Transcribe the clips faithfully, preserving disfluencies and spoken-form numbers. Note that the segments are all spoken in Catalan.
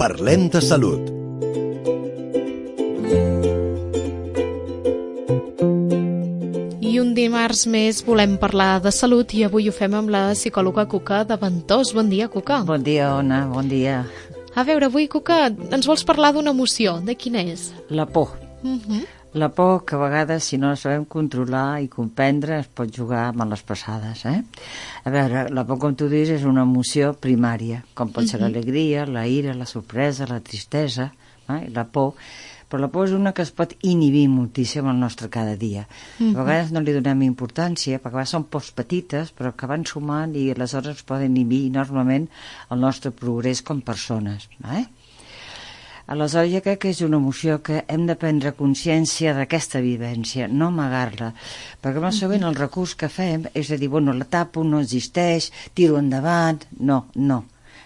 Parlem de salut. I un dimarts més volem parlar de salut i avui ho fem amb la psicòloga Cuca de Ventós. Bon dia, Cuca. Bon dia, Ona, bon dia. A veure, avui, Cuca, ens vols parlar d'una emoció. De quina és? La por. Uh-huh. La por que a vegades, si no la sabem controlar i comprendre, es pot jugar amb les passades, eh? A veure, la por, com tu dius, és una emoció primària, com pot ser uh-huh. l'alegria, la ira, la sorpresa, la tristesa, eh? La por. Però la por és una que es pot inhibir moltíssim al nostre cada dia. Uh-huh. A vegades no li donem importància, perquè a vegades són pors petites, però que van sumant i aleshores poden inhibir enormement el nostre progrés com persones, eh? Aleshores, jo crec que és una emoció que hem de prendre consciència d'aquesta vivència, no amagar-la, perquè molt sovint el recurs que fem és a dir, bueno, la tapo, no existeix, tiro endavant, no, no,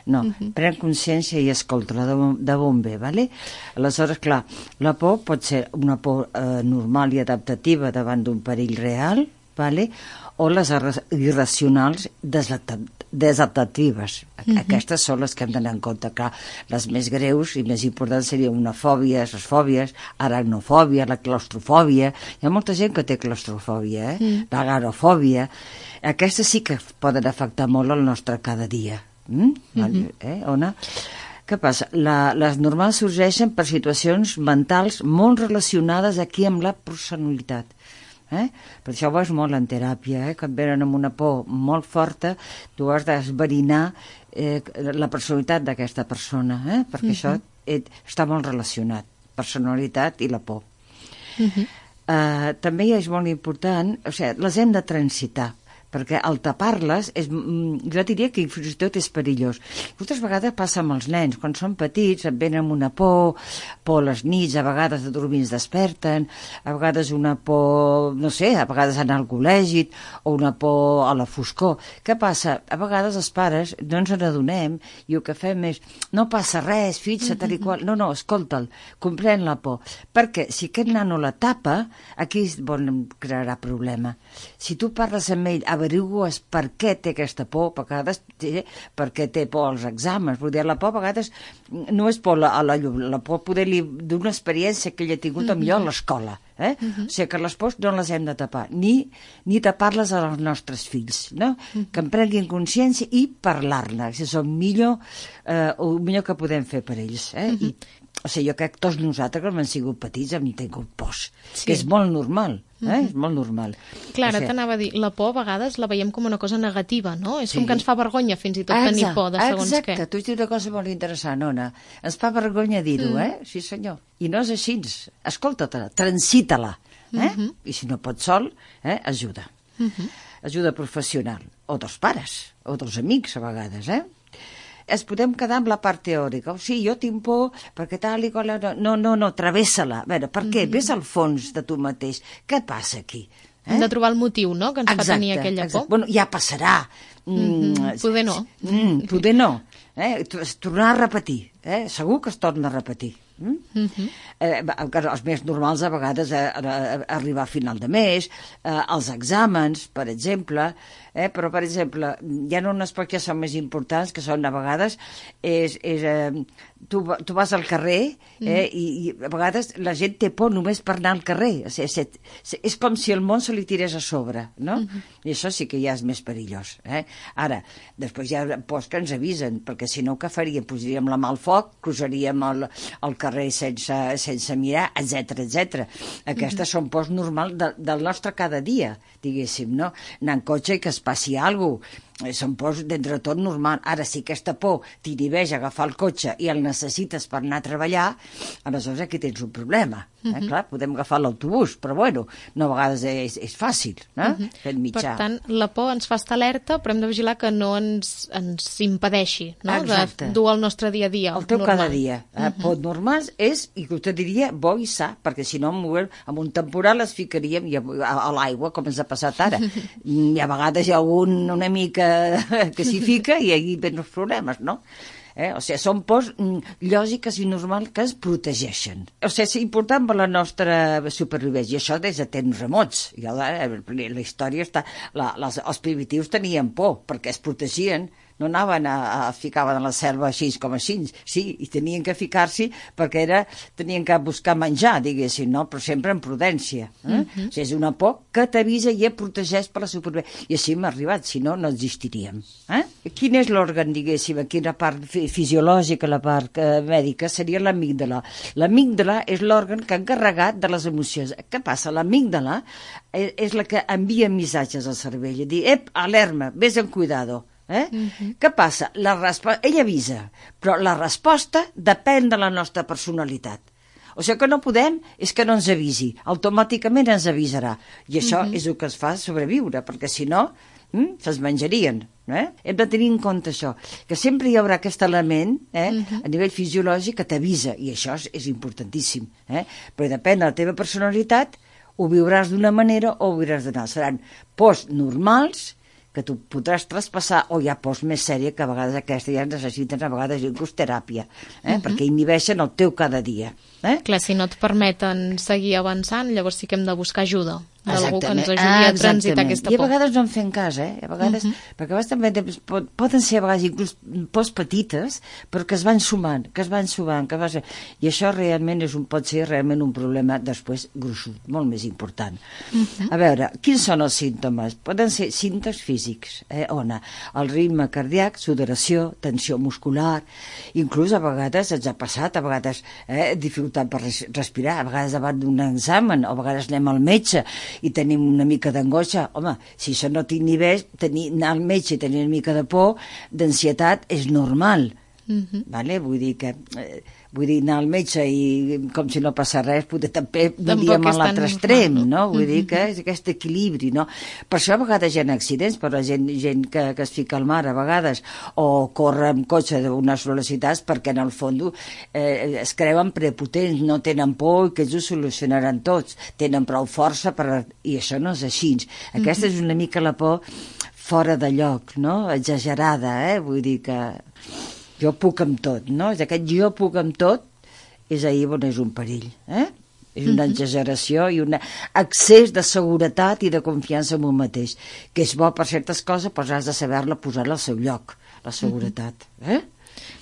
no, uh-huh. pren consciència i escolta-la de, de bon bé, ¿vale? Aleshores, clar, la por pot ser una por eh, normal i adaptativa davant d'un perill real, ¿vale? O les irracionals desadaptatives. Uh-huh. Aquestes són les que hem d'anar en compte. Clar, les més greus i més importants serien una fòbia, les fòbies, aracnofòbia, la claustrofòbia. Hi ha molta gent que té claustrofòbia, eh? Mm. L'agarofòbia. Aquestes sí que poden afectar molt el nostre cada dia. Mm? Uh-huh. Eh, Ona? Què passa? La, les normals sorgeixen per situacions mentals molt relacionades aquí amb la personalitat. Eh? Per això ho veus molt en teràpia, eh? Que et venen amb una por molt forta, tu has d'esverinar eh, la personalitat d'aquesta persona, eh? Perquè uh-huh. això et, està molt relacionat, personalitat i la por. Uh-huh. Uh, també és molt important, o sigui, les hem de transitar, perquè al tapar-les, és, jo diria que fins i tot és perillós. Moltes vegades passa amb els nens, quan són petits et venen amb una por, por a les nits, a vegades de dormir es desperten, a vegades una por, no sé, a vegades anar al col·legi, o una por a la foscor. Què passa? A vegades els pares no ens n'adonem i el que fem és, no passa res, fixa't, tal i qual. No, no, escolta'l, comprèn la por. Perquè si aquest nano la tapa, aquí és on crearà problema. Si tu parles amb ell, averigues per què té aquesta por, a vegades té, per què té por als exàmens. Vull dir, la por a vegades no és por a la llum, la por poder-li d'una experiència que ell ha tingut mm-hmm. millor a l'escola. Eh? Mm-hmm. O sigui que les pors no les hem de tapar, ni, ni tapar-les als nostres fills, no? Mm-hmm. Que en prenguin consciència i parlar-ne, que és el millor, eh, el millor que podem fer per ells. Eh? Mm-hmm. I, o sigui, jo crec que tots nosaltres, que hem sigut petits, hem tingut pors, sí. que és molt normal. Eh? Mm-hmm. És molt normal. Clar, ara o sigui, t'anava a dir, la por a vegades la veiem com una cosa negativa, no? És sí. com que ens fa vergonya fins i tot exacte, tenir por de segons exacte. què. Exacte, tu has dit una cosa molt interessant, Ona. Ens fa vergonya dir-ho, mm. eh? Sí, senyor. I no és així. Escolta-te-la, transita-la. Eh? Mm-hmm. I si no pots sol, eh? ajuda. Mm-hmm. Ajuda professional. O dels pares, o dels amics, a vegades, eh? Es podem quedar amb la part teòrica. O sigui, jo tinc por perquè tal i qual... No, no, no, travessa-la. A veure, per què? Mm-hmm. Ves al fons de tu mateix. Què passa aquí? Eh? Hem de trobar el motiu, no?, que ens exacte, fa tenir aquella por. Exacte. Bueno, ja passarà. Mm-hmm. Poder no. Mm, poder no. Eh? Tornar a repetir. Eh? Segur que es torna a repetir. Mm? Mm-hmm. eh, els més normals a vegades eh, arribar a final de mes, eh, els exàmens, per exemple, eh, però per exemple hi ha unes pocs que són més importants, que són a vegades és, és, eh, tu, tu vas al carrer eh, mm. i, i a vegades la gent té por només per anar al carrer, o sigui, és, és com si el món se li tirés a sobre, no? Mm-hmm. I això sí que ja és més perillós, eh? Ara, després hi ha pors que ens avisen, perquè si no què faríem? Posaríem la mà al foc, cruzaríem el, el carrer sense, sense mirar, etcètera, etcètera. Aquestes mm-hmm. són pors normals de, del nostre cada dia, diguéssim, no? Anar en cotxe i que es passi alguna cosa. Són pors d'entre tot normal. Ara, si aquesta por t'inhibeix a agafar el cotxe i el necessites per anar a treballar, aleshores aquí tens un problema. Eh? Uh-huh. Clar, podem agafar l'autobús, però bueno, no a vegades és, és fàcil, no? Uh-huh. Aquest mitjà. Per tant, la por ens fa estar alerta, però hem de vigilar que no ens, ens impedeixi, no? Exacte. De dur el nostre dia a dia. El teu normal. cada dia. Eh? Uh-huh. Por normal és, i que te diria, bo i sa, perquè si no, amb un temporal es ficaríem a, a, a l'aigua, com ens ha passat ara. I a vegades hi ha algun una mica que s'hi fica i aquí ven els problemes, no? Eh? O sigui, són pors lògiques i normals que ens protegeixen. O sigui, és important per la nostra supervivència, i això des de temps remots. I la, la història està... La, les, els primitius tenien por, perquè es protegien no anaven a, a ficaven a la selva així com així, sí, i tenien que ficar-s'hi perquè era, tenien que buscar menjar, diguéssim, no? Però sempre en prudència. Eh? Uh-huh. O sigui, és una por que t'avisa i et protegeix per la supervivència. I així hem arribat, si no, no existiríem. Eh? Quin és l'òrgan, diguéssim, aquí la part fisiològica, la part eh, mèdica, seria l'amígdala. L'amígdala és l'òrgan que ha encarregat de les emocions. Què passa? L'amígdala és, és la que envia missatges al cervell i dir, ep, alerma, vés en cuidado. Eh? Uh-huh. Què passa? La respo- ell avisa, però la resposta depèn de la nostra personalitat. O sigui que no podem, és que no ens avisi, automàticament ens avisarà. I això uh-huh. és el que es fa sobreviure, perquè si no, mm, se'ls menjarien. Eh? Hem de tenir en compte això, que sempre hi haurà aquest element eh, uh-huh. a nivell fisiològic que t'avisa, i això és, és importantíssim. Eh? Però depèn de la teva personalitat, ho viuràs d'una manera o ho viuràs d'una altra. Seran pors normals, que tu podràs traspassar, o hi ha pors més sèrie que a vegades aquesta ja necessiten a vegades inclús teràpia, eh? uh-huh. perquè inhibeixen el teu cada dia. Eh? Clar, si no et permeten seguir avançant, llavors sí que hem de buscar ajuda d'algú que ens ajudi a transitar aquesta por. I a vegades no en fem cas, eh? A vegades, uh -huh. perquè a vegades també pot, poden ser a vegades inclús pors petites, però que es van sumant, que es van sumant, que va ser... I això realment és un, pot ser realment un problema després gruixut, molt més important. Uh -huh. A veure, quins són els símptomes? Poden ser símptomes físics, eh? On el ritme cardíac, sudoració, tensió muscular, inclús a vegades ens ha passat, a vegades eh, dificultat per respirar, a vegades davant d'un examen, o a vegades anem al metge i tenim una mica d'angoixa. Home, si això no t'inhibeix, tenir, anar al metge i tenir una mica de por, d'ansietat, és normal. Uh-huh. Vale? Vull dir que... Eh, vull dir, anar al metge i com si no passa res, poder també diríem a l'altre extrem, no? Vull dir que és aquest equilibri, no? Per això a vegades hi ha accidents, però la gent, gent que, que es fica al mar a vegades, o corre amb cotxe d'unes velocitats perquè en el fons eh, es creuen prepotents, no tenen por i que ells ho solucionaran tots, tenen prou força per... i això no és així. Aquesta és una mica la por fora de lloc, no? Exagerada, eh? Vull dir que... jo puc amb tot, no? És aquest jo puc amb tot, és ahir on és un perill, eh? És una exageració i un excés de seguretat i de confiança en un mateix, que és bo per certes coses, però has de saber-la posar al seu lloc, la seguretat, eh?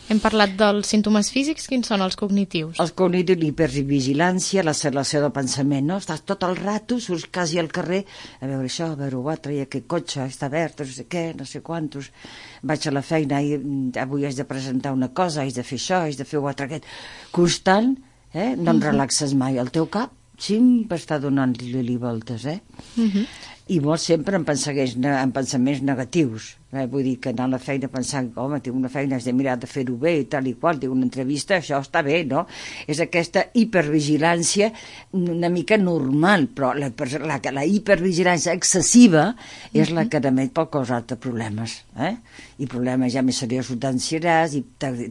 Hem parlat dels símptomes físics, quins són els cognitius? Els cognitius, l'hipervigilància, l'acceleració del pensament, no? Estàs tot el rato, surts quasi al carrer, a veure això, a veure l'altre, i aquest cotxe està verd, no sé què, no sé quantos, vaig a la feina, i avui haig de presentar una cosa, haig de fer això, haig de fer l'altre, aquest, constant, eh? No em relaxes mai, el teu cap sempre està donant-li voltes, eh? Uh -huh. I molt sempre em, en pensaments negatius. Eh? Vull dir que anar a la feina pensant, home, tinc una feina, has de mirar de fer-ho bé i tal i qual, tinc una entrevista, això està bé, no? És aquesta hipervigilància una mica normal, però la, la, la hipervigilància excessiva és la que també pot causar-te problemes, eh? I problemes ja més seriosos d'ansietat, i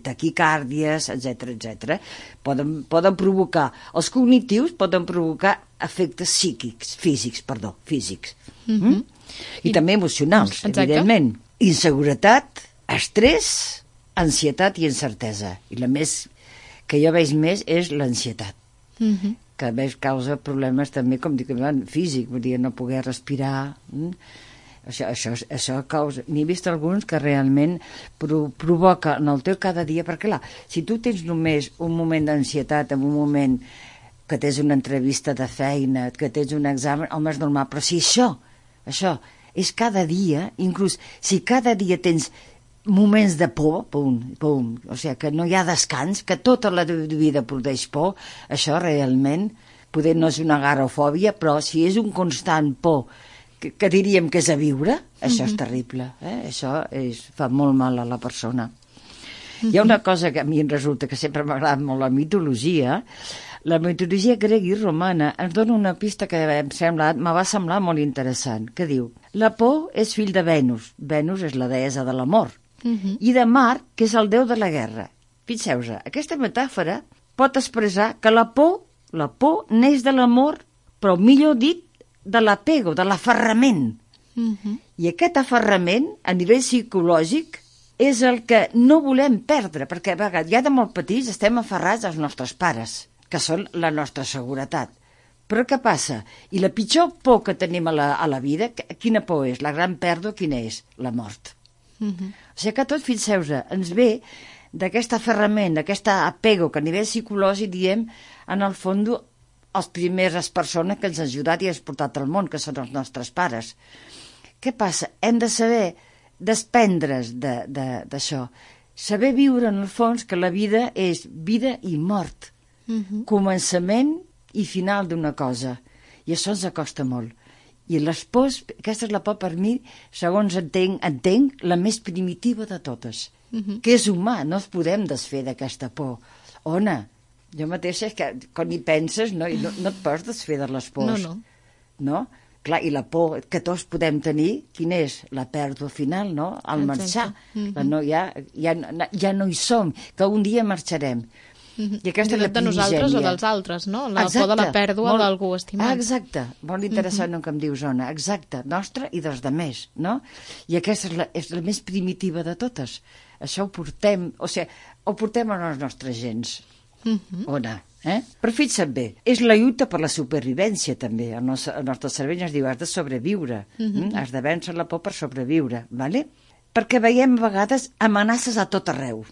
taquicàrdies, etcètera, etcètera. Poden, poden provocar, els cognitius poden provocar efectes psíquics, físics, perdó, físics. Mm -hmm. mm? I, I també emocionals, exacte. Evidentment. Inseguretat, estrès, ansietat i incertesa. I la més que jo veig més és l'ansietat, mm -hmm. que a més causa problemes també, com dic, físic, vull dir, no poder respirar. Mm? Això, això, això causa... N'he vist alguns que realment pro, provoca en el teu cada dia, perquè clar, si tu tens només un moment d'ansietat, en un moment que tens una entrevista de feina, que tens un examen, home, és normal, però si això, això és cada dia, inclús si cada dia tens moments de por, pum, pum, o sigui, que no hi ha descans, que tota la vida produeix por, això realment, poder no és una garofòbia, però si és un constant por, que, que diríem que és a viure, això mm-hmm. és terrible, eh? Això és, fa molt mal a la persona. Mm-hmm. Hi ha una cosa que a mi em resulta que sempre m'ha agradat molt, la mitologia. La mitologia grega i romana ens dona una pista que em sembla, me va semblar molt interessant, que diu, la por és fill de Venus, Venus és la deessa de l'amor, uh-huh. i de Mart, que és el déu de la guerra. Fixeu-vos, aquesta metàfora pot expressar que la por, la por neix de l'amor, però millor dit, de l'apego, de l'aferrament. Uh-huh. I aquest aferrament, a nivell psicològic, és el que no volem perdre, perquè a vegades, ja de molt petits estem aferrats als nostres pares, que són la nostra seguretat. Però què passa? I la pitjor por que tenim a la, a la vida, quina por és? La gran pèrdua, quina és? La mort. Uh-huh. O sigui que tot, fixeu-vos, ens ve d'aquest aferrament, d'aquest apego que a nivell psicològic diem, en el fons, les primeres persones que ens han ajudat i ens han portat al món, que són els nostres pares. Què passa? Hem de saber desprendre's d'això. Saber viure, en el fons, que la vida és vida i mort. Uh-huh. Començament i final d'una cosa. I això ens acosta molt. I les pors, aquesta és la por per mi, segons entenc, entenc la més primitiva de totes. Uh-huh. Que és humà, no ens podem desfer d'aquesta por. Ona, jo mateixa és que quan hi penses no, no, no et pots desfer de les pors. No, no. No? Clar, i la por que tots podem tenir, quina és? La pèrdua final, no? Al marxar. Uh-huh. La no, ja, ja, ja no hi som, que un dia marxarem. Uh-huh. I aquesta és la de nosaltres o dels altres, no? La exacte, por de la pèrdua molt, d'algú estimat. Ah, exacte, molt interessant uh-huh. el que em dius, Ona. Exacte, nostra i dels demés, no? I aquesta és la, és la més primitiva de totes. Això ho portem, o sigui, ho portem a les nostres gens. Uh-huh. Ona, eh? Però fixa't bé, és la lluita per la supervivència també. El nostre, el nostre cervell ens diu, has de sobreviure, uh-huh. mm? Has de vèncer la por per sobreviure, vale? Perquè veiem a vegades amenaces a tot arreu.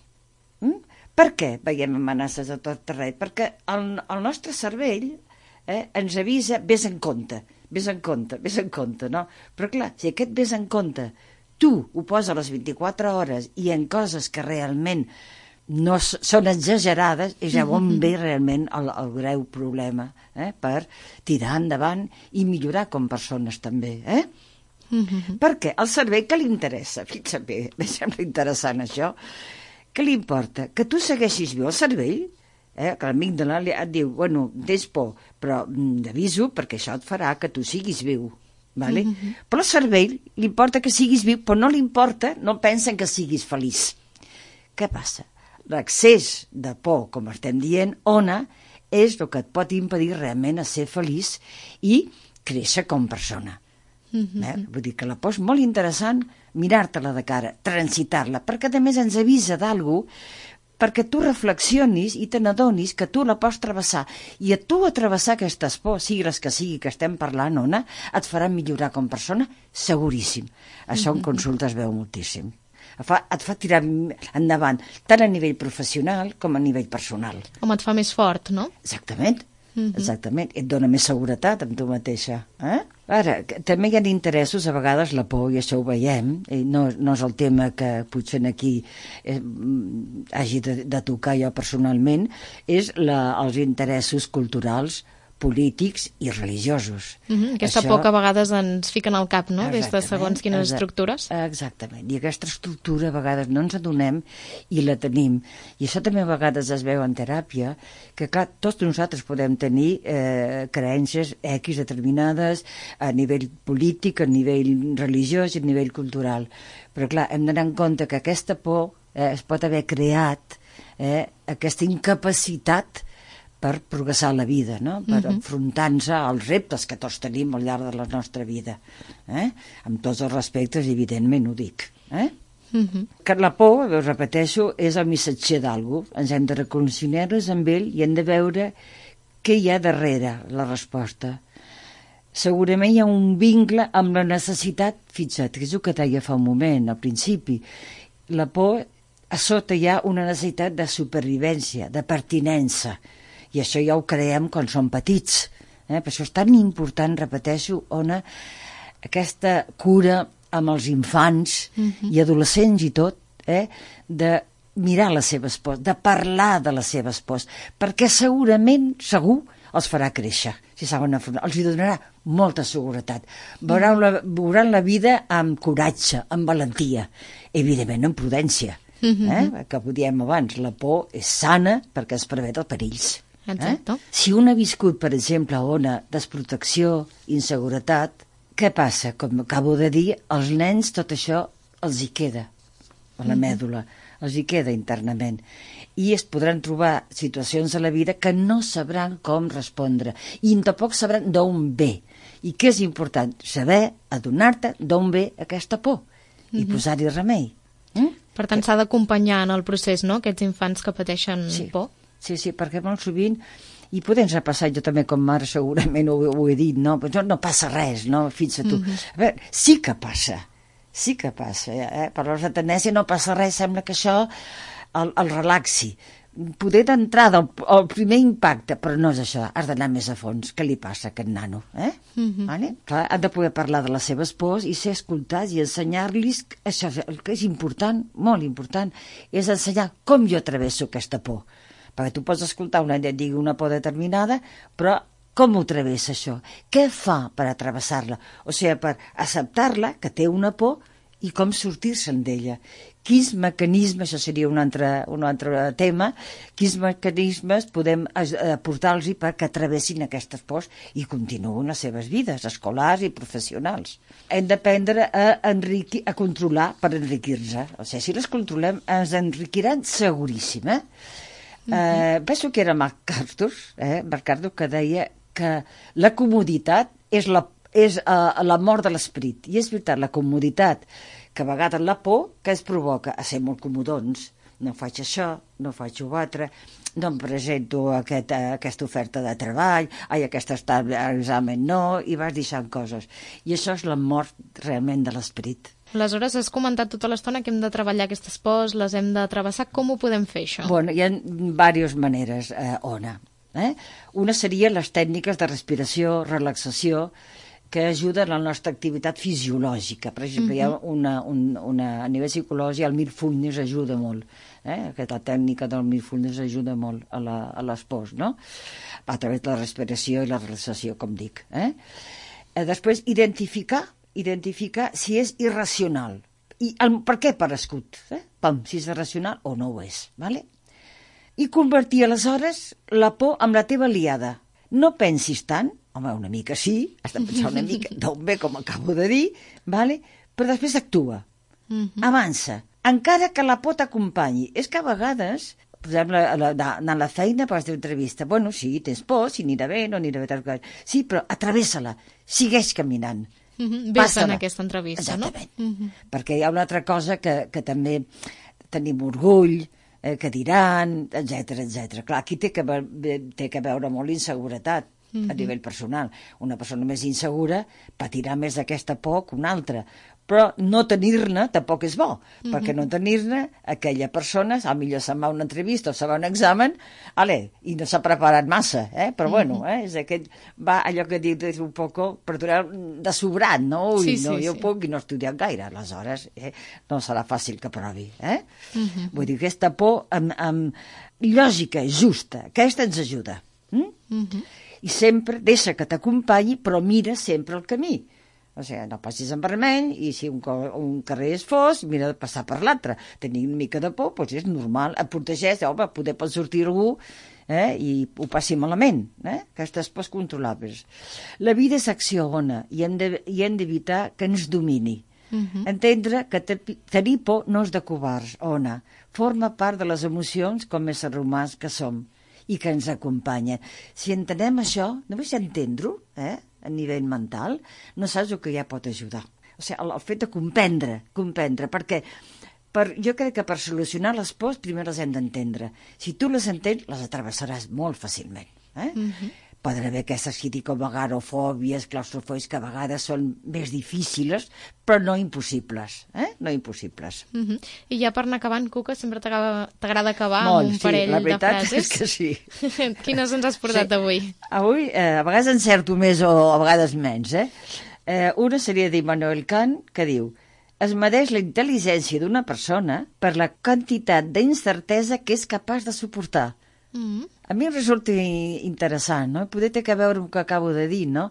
Mm? Per què veiem amenaces a tot arreu? Perquè el, el nostre cervell eh, ens avisa, vés en compte, vés en compte, vés en compte, no? Però clar, si aquest vés en compte tu ho poses a les vint-i-quatre hores i en coses que realment no són exagerades, és ja on ve realment el, el greu problema eh, per tirar endavant i millorar com persones també, eh? Uh-huh. Perquè al cervell què li interessa? Fixa't bé, em sembla interessant això. Què li importa? Que tu segueixis viu el cervell, eh? Que l'amígdala et diu, bueno, tens por, però d'aviso perquè això et farà que tu siguis viu. Vale? Uh-huh. Però al cervell li importa que siguis viu, però no li importa, no pensa que siguis feliç. Què passa? L'excés de por, com estem dient, Ona, és el que et pot impedir realment a ser feliç i créixer com persona. Uh-huh. Eh? Vull dir que la por és molt interessant mirar-te-la de cara, transitar-la, perquè a més ens avisa d'algú perquè tu reflexionis i te n'adonis que tu la pots travessar. I a tu a travessar aquestes pors, sigui les que sigui que estem parlant, Ona, et farà millorar com persona, seguríssim. Això en consulta es veu moltíssim. Et fa, et fa tirar endavant, tant a nivell professional com a nivell personal. Com et fa més fort, no? Exactament. Uh-huh. Exactament, et dona més seguretat amb tu mateixa. Eh? Ara, també hi ha interessos, a vegades la por, i això ho veiem, i no, no és el tema que potser aquí eh, hagi de, de tocar jo personalment, és la, els interessos culturals, polítics i religiosos. Uh-huh. Aquesta això... por que a vegades ens fiquen al cap, no? Des de segons quines exact... estructures. Exactament, i aquesta estructura a vegades no ens adonem i la tenim. I això també a vegades es veu en teràpia, que clar, tots nosaltres podem tenir eh, creences X determinades a nivell polític, a nivell religiós i a nivell cultural. Però clar, hem d'anar en compte que aquesta por eh, es pot haver creat eh, aquesta incapacitat per progressar la vida, no? Per uh-huh. enfrontar-nos als reptes que tots tenim al llarg de la nostra vida. Eh? Amb tots els respectes, evidentment, ho dic. Eh? Uh-huh. Que la por, ho repeteixo, és el missatger d'algú. Ens hem de reconciliar-nos amb ell i hem de veure què hi ha darrere la resposta. Segurament hi ha un vincle amb la necessitat, fixa't, que és el que deia fa un moment, al principi. La por, a sota hi ha una necessitat de supervivència, de pertinença. I això ja ho creem quan som petits. Eh? Per això és tan important, repeteixo, Ona, aquesta cura amb els infants uh-huh. i adolescents i tot, eh? de mirar les seves pors, de parlar de les seves pors, perquè segurament, segur, els farà créixer, si saben afrontar. Els donarà molta seguretat. Veuran la, veuran la vida amb coratge, amb valentia, evidentment amb prudència. Uh-huh. Eh? Que ho diem abans, la por és sana perquè es prevé dels perills. Exacte. Eh? Si un ha viscut, per exemple, a Ona, desprotecció, inseguretat, què passa? Com acabo de dir, als nens tot això els hi queda, a la mèdula, els hi queda internament. I es podran trobar situacions a la vida que no sabran com respondre i tampoc sabran d'on ve. I què és important? Saber, adonar-te d'on ve aquesta por i uh-huh. posar-hi remei. Mm? Per tant, s'ha d'acompanyar en el procés, no?, aquests infants que pateixen sí. por. Sí, sí, perquè molt sovint, i podem repassar, jo també com mare segurament ho, ho he dit, no? Però no passa res, no? Fins a tu. Mm-hmm. A veure, sí que passa, sí que passa, eh? Per la tenència no passa res, sembla que això el, el relaxi. Poder d'entrada, el, el primer impacte, però no és això, has d'anar més a fons. Què li passa a aquest nano? Eh? Mm-hmm. Vale? Clar, han de poder parlar de les seves pors i ser escoltats i ensenyar-los, això, el que és important, molt important, és ensenyar com jo travesso aquesta por. Perquè tu pots escoltar una et digui una por determinada, però com ho travessa això? Què fa per atravessar-la? O sigui, per acceptar-la, que té una por, i com sortir-se'n d'ella. Quins mecanismes, això seria un altre, un altre tema, quins mecanismes podem aportar-los perquè travessin aquestes pors i continuïn les seves vides escolars i professionals. Hem d'aprendre a enriquir, a controlar per enriquir-se. O sigui, si les controlem, ens enriquiran seguríssim, eh? Mm-hmm. eh penso que era MacArthur, eh? MacArthur, que deia que la comoditat és la és uh, la mort de l'esperit. I és veritat, la comoditat, que a vegades la por que es provoca a ser molt comodons. No faig això, no faig l'altre, no em presento a aquest, a aquesta oferta de treball, ai, aquesta està a l'examen no, i vas deixant coses. I això és la mort realment de l'esperit. Aleshores, has comentat tota l'estona que hem de treballar aquestes pors, les hem de travessar. Com ho podem fer, això? Bueno, hi ha diverses maneres, eh, Ona. Eh? Una seria les tècniques de respiració, relaxació, que ajuden a la nostra activitat fisiològica. Per exemple, uh-huh. hi ha una, un, una, a nivell psicològic, el mindfulness ajuda molt. Eh? Aquesta tècnica del mindfulness ajuda molt a, la, a les pors, no? A través de la respiració i la relaxació, com dic. Eh? Eh, després, identificar, identificar si és irracional. I el, per què per escut? Eh? Pam, si és irracional o no ho és. Vale? I convertir, aleshores, la por en la teva aliada. No pensis tant, home, una mica sí, has de pensar una mica d'on ve, com acabo de dir, vale? Però després actua, mm-hmm. avança, encara que la por t'acompanyi. És que a vegades, per exemple, anar a la feina per fer entrevista, bueno, sí, tens por, si anirà bé, no anirà bé, sí, però atravessa-la, segueix caminant. Mm-hmm. Ves en aquesta entrevista, exactament. No? Mm-hmm. Perquè hi ha una altra cosa que, que també tenim orgull, eh, que diran, etcètera, etcètera. Clar, aquí té que, té que veure molt l'inseguretat. Mm-hmm. A nivell personal. Una persona més insegura patirà més d'aquesta por que una altra. Però no tenir-ne tampoc és bo, mm-hmm. perquè no tenir-ne aquella persona, a millor se'n va a una entrevista o se'n va a un examen, ale, i no s'ha preparat massa, eh? Però mm-hmm. bueno, eh? És aquest, va allò que diu, és un poc de sobrat, no? Ui, sí, no, sí, jo sí. puc i no he estudiat gaire, aleshores eh? No serà fàcil que provi, eh? Mm-hmm. Vull dir, aquesta por amb, amb lògica, justa, aquesta ens ajuda. Mm? Mm-hmm. I sempre deixa que t'acompanyi, però mira sempre el camí. O sigui, no passis en vermell, i si un, un carrer és fos, mira de passar per l'altre. Tenir una mica de por, doncs és normal. Et protegeix, home, poder pot sortir algú eh, i ho passi malament. Eh? Aquestes pors controlables. La vida és acció, Ona, i hem d'evitar que ens domini. Uh-huh. Entendre que tenir por no és de covards, Ona. Forma part de les emocions com a éssers humans que som i que ens acompanyen. Si entenem això, només entendre-ho, eh, a nivell mental, no saps el que ja pot ajudar. O sigui, el, el fet de comprendre, comprendre, perquè per, jo crec que per solucionar les pors primer les hem d'entendre. Si tu les entens, les atravessaràs molt fàcilment. Eh? Mm-hmm. Poden haver aquestes que dic com agarofòbies, claustrofòbies, que a vegades són més difícils, però no impossibles, eh? No impossibles. Uh-huh. I ja per anar acabant, Cuca, sempre t'agrada acabar Molt, amb un sí, parell la de veritat frases. És que sí. Quines ens has portat sí. avui? Avui, eh, a vegades encerto més o a vegades menys, eh? eh una seria d'Immanuel Kant, que diu: es medeix la intel·ligència d'una persona per la quantitat d'incertesa que és capaç de suportar. Mm-hmm. A mi em resulta interessant, no? Poder té que veure amb el que acabo de dir, no?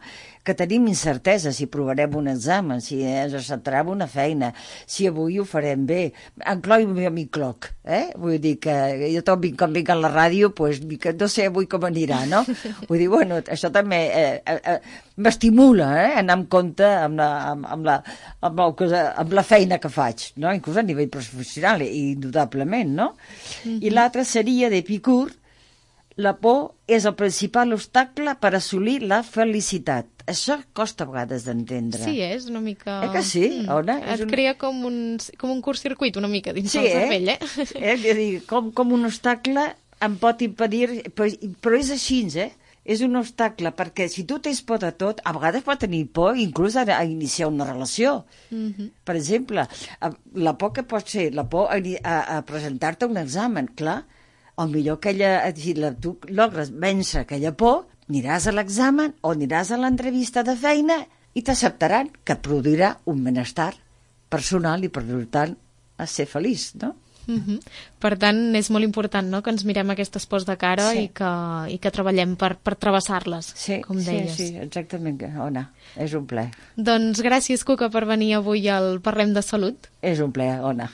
Que tenim incertesa si provarem un examen, si ens acceptarem una feina, si avui ho farem bé. Encloi a mi cloc, eh? Vull dir que jo tot vinc, com vinc a la ràdio, pues, no sé avui com anirà, no? Vull dir, bueno, això també eh, eh, m'estimula, eh? Anar amb compte amb la, amb, amb, la, amb, la, amb la feina que faig, no? Inclús a nivell professional, indudablement, no? Mm-hmm. I l'altre seria d'Epicur: la por és el principal obstacle per assolir la felicitat. Això costa a vegades d'entendre. Sí, és una mica... Eh que sí, mm. Ona? Et un... crea com un, com un curt-circuit una mica dins sí, del cervell, eh? eh? eh dir, com, com un obstacle em pot impedir... Però, però és així, eh? és un obstacle, perquè si tu tens por de tot, a vegades pot tenir por inclús a, a iniciar una relació. Mm-hmm. Per exemple, la por que pot ser, la por a, a, a presentar-te un examen, clar, o millor aquella, si la, tu logres vèncer aquella por, aniràs a l'examen o aniràs a l'entrevista de feina i t'acceptaran, que et produirà un benestar personal i, per tant, a ser feliç, no? Uh-huh. Per tant, és molt important, no?, que ens mirem aquestes pors de cara sí. i, que, i que treballem per, per travessar-les, sí, com deies. Sí, sí, exactament, Ona. És un plaer. Doncs gràcies, Cuca, per venir avui al Parlem de Salut. És un plaer, Ona.